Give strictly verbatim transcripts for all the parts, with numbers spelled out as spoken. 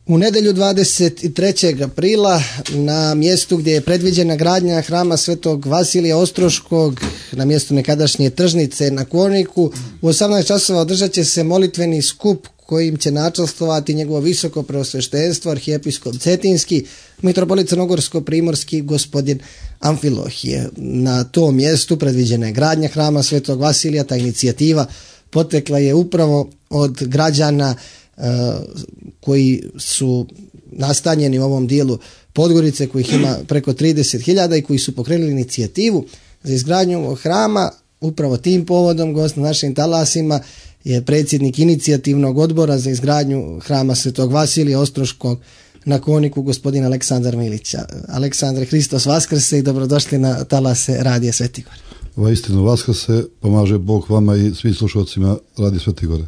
U nedjelju dvadeset trećeg aprila na mjestu gdje je predviđena gradnja hrama Svetog Vasilija Ostroškog na mjestu nekadašnje tržnice na Koniku u osamnaest časova održat će se molitveni skup kojim će načelstvovati njegovo visoko preosveštenstvo arhijepiskop Cetinski, mitropolit Crnogorsko-primorski gospodin Amfilohije. Na tom mjestu predviđena je gradnja hrama Svetog Vasilija. Ta inicijativa potekla je upravo od građana Uh, koji su nastanjeni u ovom dijelu Podgorice, kojih ima preko trideset hiljada i koji su pokrenuli inicijativu za izgradnju ovog hrama. Upravo tim povodom gost na našim talasima je predsjednik inicijativnog odbora za izgradnju hrama Svetog Vasilija Ostroškog na Koniku, gospodin Aleksandar Milić. Aleksandre, Hristos vaskrse i dobrodošli na talase Radija Sveti Gor. Ova istinu vaskrse, pomaže Bog vama i svim slušalcima Radija Sveti Gore.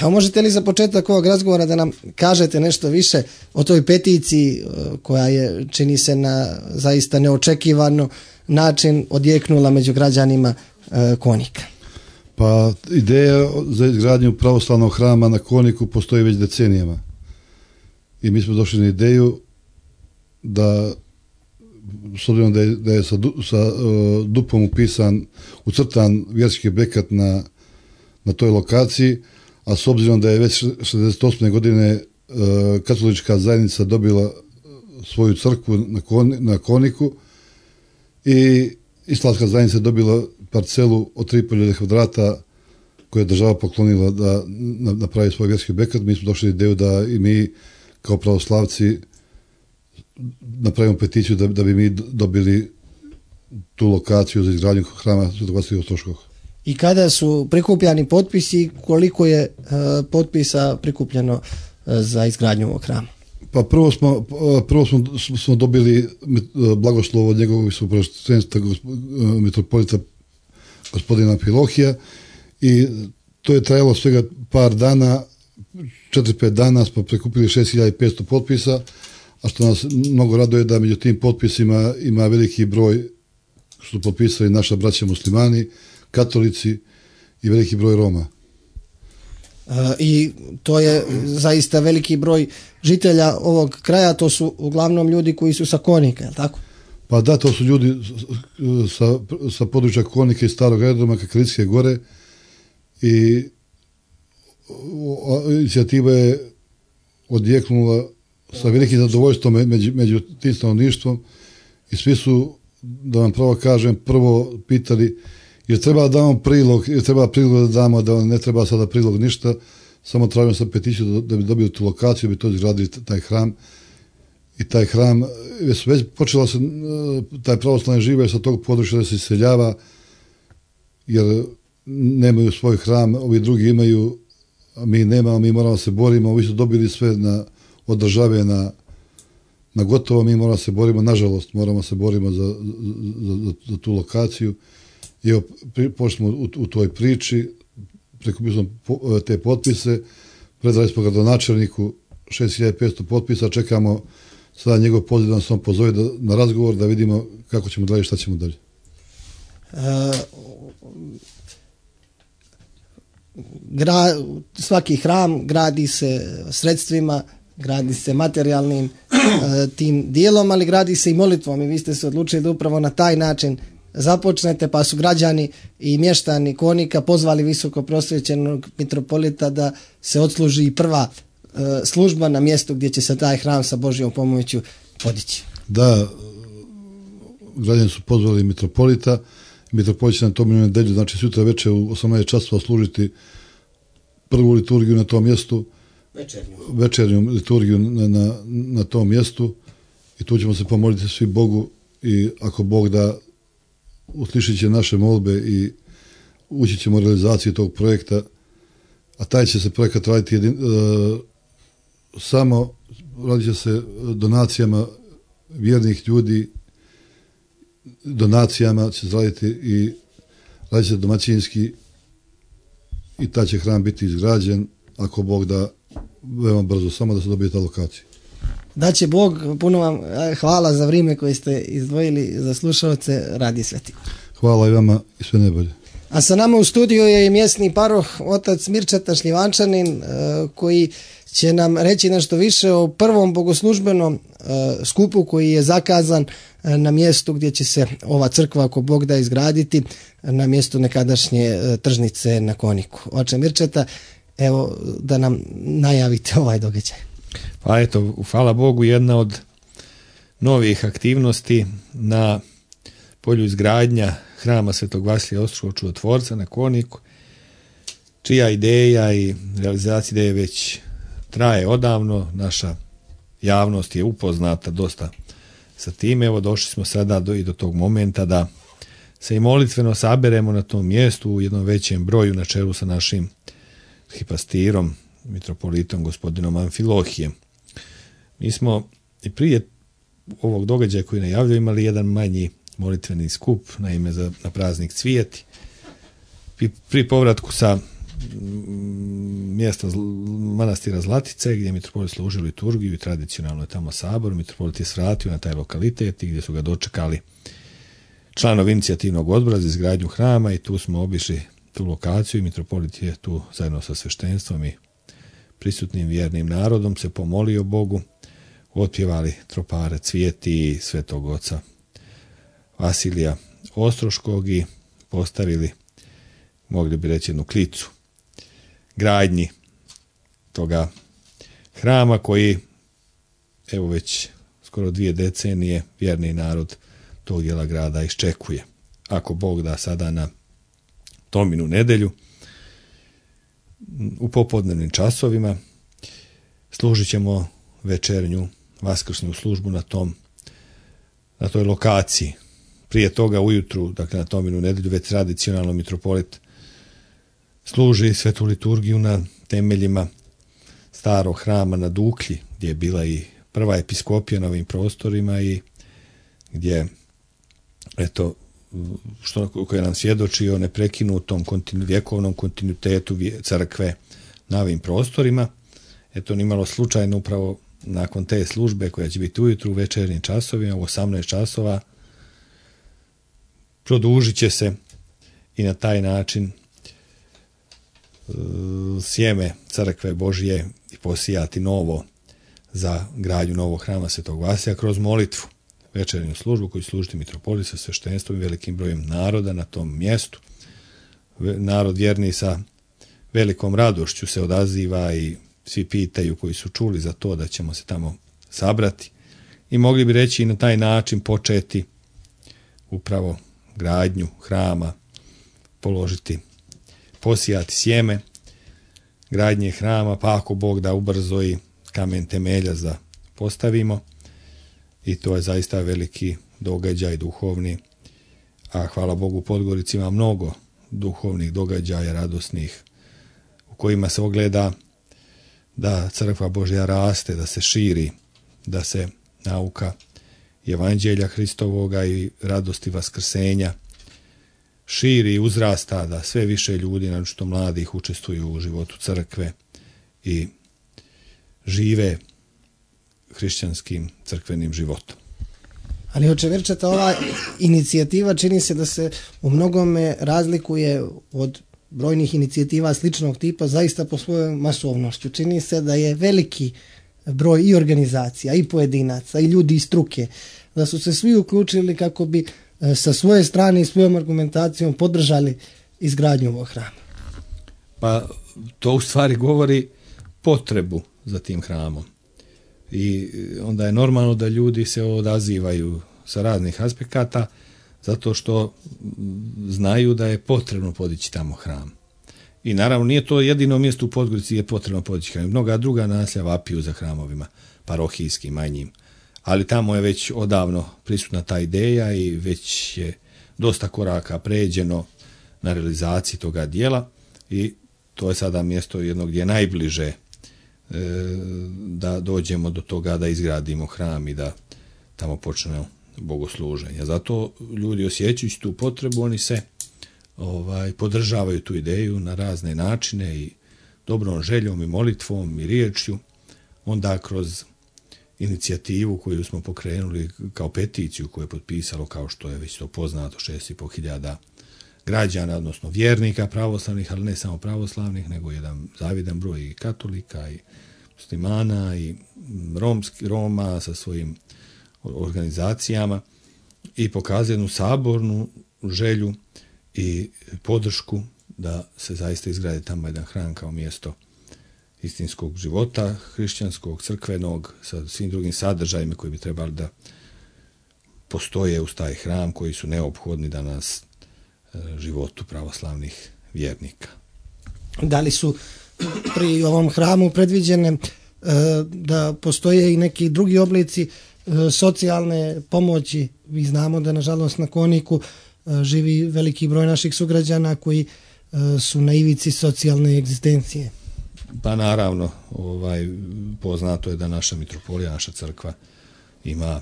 Evo, možete li za početak ovog razgovora da nam kažete nešto više o toj peticiji koja je, čini se, na zaista neočekivano način odjeknula među građanima e, Konika? Pa ideja za izgradnju pravoslavnog hrama na Koniku postoji već decenijama. I mi smo došli na ideju da, s obzirom da je, da je sa, sa uh, dupom upisan, ucrtan vjerski objekat na, na toj lokaciji, a s obzirom da je već šezdeset osme godine e, katolička zajednica dobila svoju crkvu na, Koni, na Koniku i islamska zajednica dobila parcelu od tri hiljade kvadrata koju je država poklonila da napravi svoj vjerski objekat, mi smo došli ideju da i mi kao pravoslavci napravimo peticiju da, da bi mi dobili tu lokaciju za izgradnju hrama Svetog Vasilija Ostroškog. I kada su prikupljani potpisi, koliko je e, potpisa prikupljeno e, za izgradnju ovog hrama? Pa prvo smo, prvo smo, smo dobili blagoslovo od njegovog visokopreosveštenstva mitropolita gospodina Amfilohija i to je trajalo svega par dana, četiri pet dana smo prikupili šest hiljada petsto potpisa, a što nas mnogo raduje da među tim potpisima ima veliki broj što su potpisali naša braća muslimani, katolici i veliki broj Roma. E, I to je zaista veliki broj žitelja ovog kraja, to su uglavnom ljudi koji su sa Konika, je li tako? Pa da, to su ljudi sa, sa područja Konike i Starog aerodroma, Kakalicijske gore i inicijativa je odjeknula sa velikim zadovoljstvom među, među tim stanovništvom i svi su, da vam pravo kažem, prvo pitali jer treba da damo prilog, jer treba prilog da damo, da ne treba sada prilog ništa, samo tražimo sa peticiju da, da bi dobili tu lokaciju, da bi to izgradili taj hram. I taj hram, već, već počela se, taj pravoslavni žive sa tog područja da se iseljava, jer nemaju svoj hram, ovi drugi imaju, a mi nemamo, mi moramo se borimo, ovi su dobili sve na, od države na, na gotovo, mi moramo se borimo, nažalost, moramo se borimo za, za, za, za tu lokaciju. I evo, pošli smo u, u toj priči, prikupili smo po, te potpise, predali smo gradonačelniku šest hiljada petsto potpisa, čekamo sada njegov poziv da nas on pozove da, na razgovor da vidimo kako ćemo dalje i šta ćemo dalje. E, gra, svaki hram gradi se sredstvima, gradi se materijalnim e, tim dijelom, ali gradi se i molitvom i vi ste se odlučili da upravo na taj način započnete, pa su građani i mještani Konika pozvali visoko prosvjećenog mitropolita da se odsluži i prva e, služba na mjestu gdje će se taj hram sa Božjom pomoću podići. Da, građani su pozvali mitropolita, mitropolit će na tom nedelju, znači sutra večer u osamnaest časova služiti prvu liturgiju na tom mjestu, večernju, večernju liturgiju na, na, na tom mjestu i tu ćemo se pomoliti svi Bogu i ako Bog da uslišit će naše molbe i ući ćemo u realizaciju tog projekta, a taj će se projekat raditi jedin, e, samo radit će se donacijama vjernih ljudi, donacijama će se raditi i radit će domaćinski i taj će hram biti izgrađen ako Bog da veoma brzo, samo da se dobije ta lokacija. Da će Bog, puno vam hvala za vrijeme koje ste izdvojili za slušalce Radija Sveti Gor. Hvala i vama i sve najbolje. A sa nama u studiju je i mjesni paroh, otac Mirčeta Šljivančanin, koji će nam reći nešto više o prvom bogoslužbenom uh, skupu koji je zakazan uh, na mjestu gdje će se ova crkva, ako Bog da, izgraditi, na mjestu nekadašnje uh, tržnice na Koniku. Oče Mirčeta, evo da nam najavite ovaj događaj. Pa eto, hvala Bogu, jedna od novih aktivnosti na polju izgradnja hrama Svetog Vasilija Ostroškog Čudotvorca na Koniku, čija ideja i realizacija ideje već traje odavno. Naša javnost je upoznata dosta sa time. Evo, došli smo sada do, i do tog momenta da se i molitveno saberemo na tom mjestu u jednom većem broju na čelu sa našim hipastirom, mitropolitom gospodinom Amfilohijem. Mi smo i prije ovog događaja koji najavljaju imali jedan manji molitveni skup na ime za, na praznik Cvijeti. Pri, pri povratku sa mjesta manastira Zlatice, gdje je mitropolit služio liturgiju i tradicionalno je tamo sabor, mitropolit je svratio na taj lokalitet i gdje su ga dočekali članovi inicijativnog odbora za izgradnju hrama i tu smo obišli tu lokaciju i mitropolit je tu zajedno sa sveštenstvom i prisutnim vjernim narodom se pomolio Bogu, otpjevali tropare Cvijeti i Svetog oca Vasilija Ostroškog i postavili, mogli bi reći, jednu klicu gradnji toga hrama koji, evo već skoro dvije decenije, vjerni narod tog dijela grada iščekuje. Ako Bog da, sada na Tominu nedjelju u popodnevnim časovima služit ćemo večernju vaskrsnu službu na tom, na toj lokaciji. Prije toga ujutru, dakle na Tominu nedjelju, već tradicionalno mitropolit služi svetu liturgiju na temeljima starog hrama na Duklji, gdje je bila i prva episkopija na ovim prostorima i gdje, eto, što koje nam svjedoči o neprekinutom kontinu, vjekovnom kontinuitetu crkve na ovim prostorima. Eto, nimalo slučajno upravo nakon te službe koja će biti ujutru u večernjim časovima u osamnaest časova produžit će se i na taj način sjeme crkve Božje i posijati novo za gradnju novog hrama Svetog Vasilija kroz molitvu, večernju službu koju služiti mitropolit sa sveštenstvom i velikim brojem naroda na tom mjestu. Narod vjerni sa velikom radošću se odaziva i svi pitaju koji su čuli za to da ćemo se tamo sabrati i mogli bi reći i na taj način početi upravo gradnju hrama, položiti, posijati sjeme gradnje hrama, pa ako Bog da ubrzo i kamen temelja za postavimo i to je zaista veliki događaj duhovni, a hvala Bogu u Podgorici ima mnogo duhovnih događaja radosnih u kojima se ogleda da crkva Božja raste, da se širi, da se nauka evanđelja Hristovoga i radosti vaskrsenja širi i uzrasta, da sve više ljudi, naročito mladih, učestvuju u životu crkve i žive hrišćanskim crkvenim životom. Ali oče Mirčeta, ova inicijativa čini se da se u mnogome razlikuje od brojnih inicijativa sličnog tipa, zaista po svojoj masovnošću. Čini se da je veliki broj i organizacija, i pojedinaca, i ljudi iz struke, da su se svi uključili kako bi sa svoje strane i svojom argumentacijom podržali izgradnju ovog hrama. Pa to u stvari govori potrebu za tim hramom. I onda je normalno da ljudi se odazivaju sa raznih aspekata zato što znaju da je potrebno podići tamo hram. I naravno nije to jedino mjesto u Podgorici gdje je potrebno podići hram. Mnoga druga naselja vapiju za hramovima, parohijskim, manjim. Ali tamo je već odavno prisutna ta ideja i već je dosta koraka pređeno na realizaciji toga dijela i to je sada mjesto jedno gdje je najbliže e, da dođemo do toga da izgradimo hram i da tamo počnemo bogosluženje. Zato ljudi osjećajući tu potrebu, oni se ovaj, podržavaju tu ideju na razne načine i dobrom željom i molitvom i riječju, onda kroz inicijativu koju smo pokrenuli kao peticiju koju je potpisalo, kao što je već to poznato, šest i pol hiljada građana, odnosno vjernika pravoslavnih, ali ne samo pravoslavnih, nego jedan zavidan broj i katolika i muslimana i romski, Roma sa svojim organizacijama i pokazuje jednu sabornu želju i podršku da se zaista izgradi tamo jedan hram kao mjesto istinskog života, hrišćanskog, crkvenog, sa svim drugim sadržajima koji bi trebali da postoje uz taj hram, koji su neophodni danas životu pravoslavnih vjernika. Da li su pri ovom hramu predviđene da postoje i neki drugi oblici socijalne pomoći? Mi znamo da nažalost na Kooniku živi veliki broj naših sugrađana koji su na ivici socijalne egzistencije. Pa naravno, ovaj, poznato je da naša mitropolija, naša crkva ima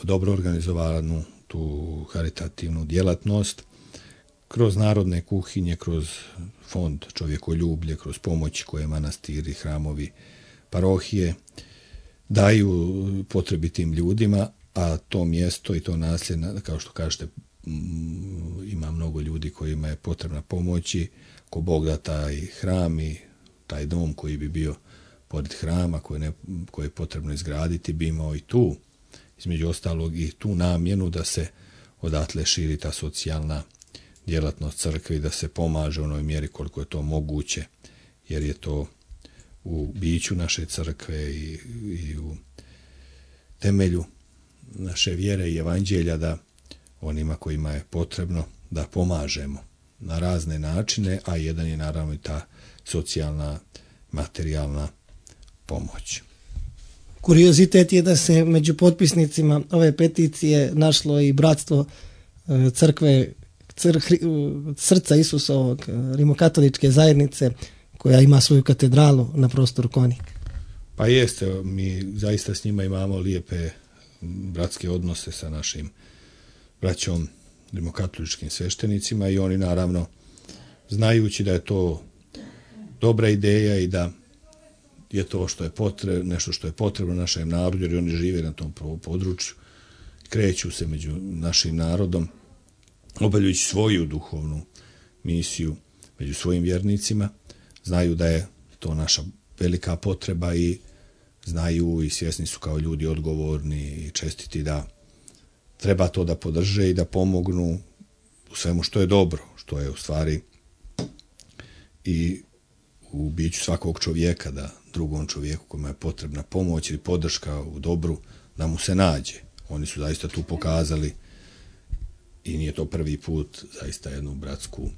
dobro organizovanu tu haritativnu djelatnost kroz narodne kuhinje, kroz fond čovjekoljublje, kroz pomoć koje manastiri, hramovi, parohije daju potrebitim ljudima, a to mjesto i to naselje, kao što kažete, ima mnogo ljudi kojima je potrebna pomoć i ko Bog da taj hram i taj dom koji bi bio pored hrama, koji, ne, koji je potrebno izgraditi, bi imao i tu, između ostalog, i tu namjenu da se odatle širi ta socijalna djelatnost crkve i da se pomaže u onoj mjeri koliko je to moguće, jer je to u biću naše crkve i, i u temelju naše vjere i evanđelja da onima kojima je potrebno da pomažemo na razne načine, a jedan je naravno i ta socijalna, materijalna pomoć. Kuriozitet je da se među potpisnicima ove peticije našlo i bratstvo crkve cr, srca Isusovog, rimokatoličke zajednice, koja ima svoju katedralu na prostoru Koonika. Pa jeste, mi zaista s njima imamo lijepe bratske odnose sa našim braćom rimokatoličkim sveštenicima i oni naravno, znajući da je to dobra ideja i da je to što je potrebno, nešto što je potrebno našem narodu, jer oni žive na tom području, kreću se među našim narodom, obavljajući svoju duhovnu misiju među svojim vjernicima, znaju da je to naša velika potreba i znaju i svjesni su kao ljudi odgovorni i čestiti da treba to da podrže i da pomognu u svemu što je dobro, što je u stvari i u biću svakog čovjeka, da drugom čovjeku kome je potrebna pomoć ili podrška u dobru, da mu se nađe. Oni su zaista tu pokazali i nije to prvi put, zaista jednu bratsku,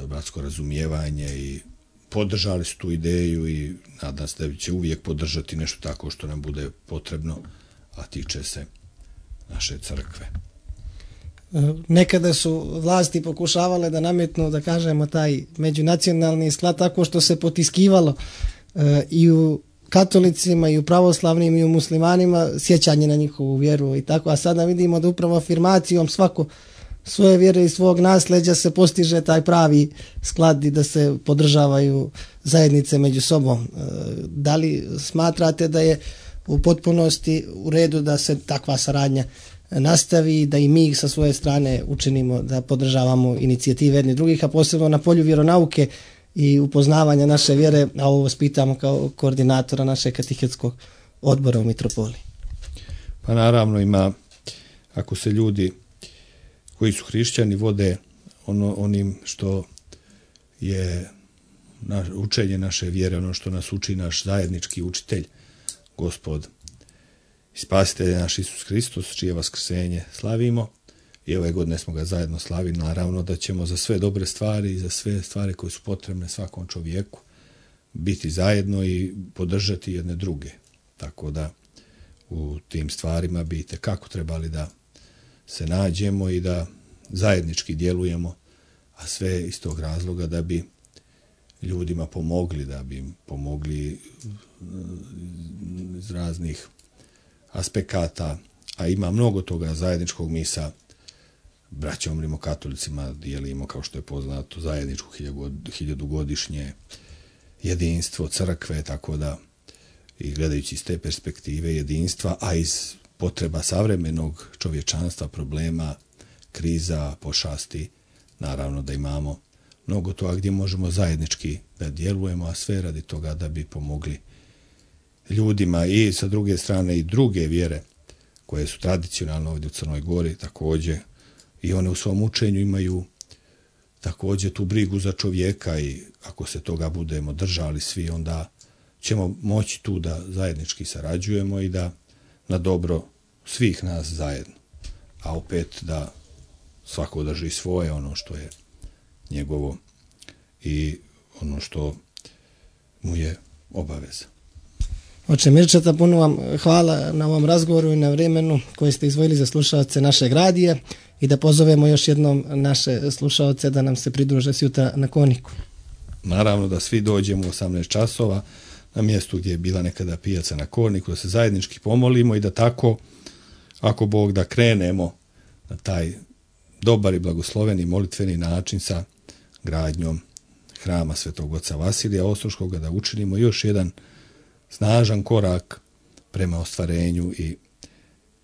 bratsko razumijevanje i podržali su tu ideju i nadam se da će uvijek podržati nešto tako što nam bude potrebno, a tiče se naše crkve. Nekada su vlasti pokušavale da nametnu, da kažemo, taj međunacionalni sklad tako što se potiskivalo e, i u katolicima i u pravoslavnim i u muslimanima sjećanje na njihovu vjeru i tako, a sada vidimo da upravo afirmacijom svako svoje vjere i svog nasljeđa se postiže taj pravi sklad i da se podržavaju zajednice među sobom. E, da li smatrate da je u potpunosti u redu da se takva saradnja nastavi, da i mi sa svoje strane učinimo da podržavamo inicijative jedni drugih, a posebno na polju vjeronauke i upoznavanja naše vjere, a ovo vas pitamo kao koordinatora našeg katehetskog odbora u mitropoliji? Pa naravno ima, ako se ljudi koji su hrišćani vode ono, onim što je na, učenje naše vjere, ono što nas uči naš zajednički učitelj, Gospod i Spasitelj naš Isus Hristos, čije vaskrsenje slavimo, i ove godine smo ga zajedno slavili, naravno da ćemo za sve dobre stvari i za sve stvari koje su potrebne svakom čovjeku biti zajedno i podržati jedne druge. Tako da u tim stvarima bi itekako trebali da se nađemo i da zajednički djelujemo, a sve iz tog razloga da bi ljudima pomogli, da bi im pomogli iz raznih aspekata, a ima mnogo toga zajedničkog. Mi sa braćom rimokatolicima dijelimo, kao što je poznato, zajedničko hiljadugodišnje jedinstvo crkve, tako da i gledajući iz te perspektive jedinstva, a iz potreba savremenog čovječanstva, problema, kriza, pošasti, naravno da imamo mnogo toga gdje možemo zajednički da djelujemo, a sve radi toga da bi pomogli ljudima i sa druge strane i druge vjere koje su tradicionalno ovdje u Crnoj Gori također, i one u svom učenju imaju također tu brigu za čovjeka, i ako se toga budemo držali svi, onda ćemo moći tu da zajednički sarađujemo i da na dobro svih nas zajedno. A opet da svako drži svoje, ono što je njegovo i ono što mu je obaveza. Oče Mirčeta, puno vam hvala na ovom razgovoru i na vremenu koje ste izdvojili za slušalce našeg radija, i da pozovemo još jednom naše slušalce da nam se pridruže sjutra na Korniku. Naravno da svi dođemo u osamnaest časova na mjestu gdje je bila nekada pijaca na Korniku, da se zajednički pomolimo i da tako, ako Bog da, krenemo na taj dobar i blagosloveni molitveni način sa gradnjom hrama Svetog Oca Vasilija Ostroškoga, da učinimo još jedan snažan korak prema ostvarenju i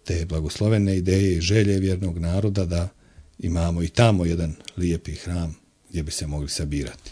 te blagoslovene ideje i želje vjernog naroda da imamo i tamo jedan lijepi hram gdje bi se mogli sabirati.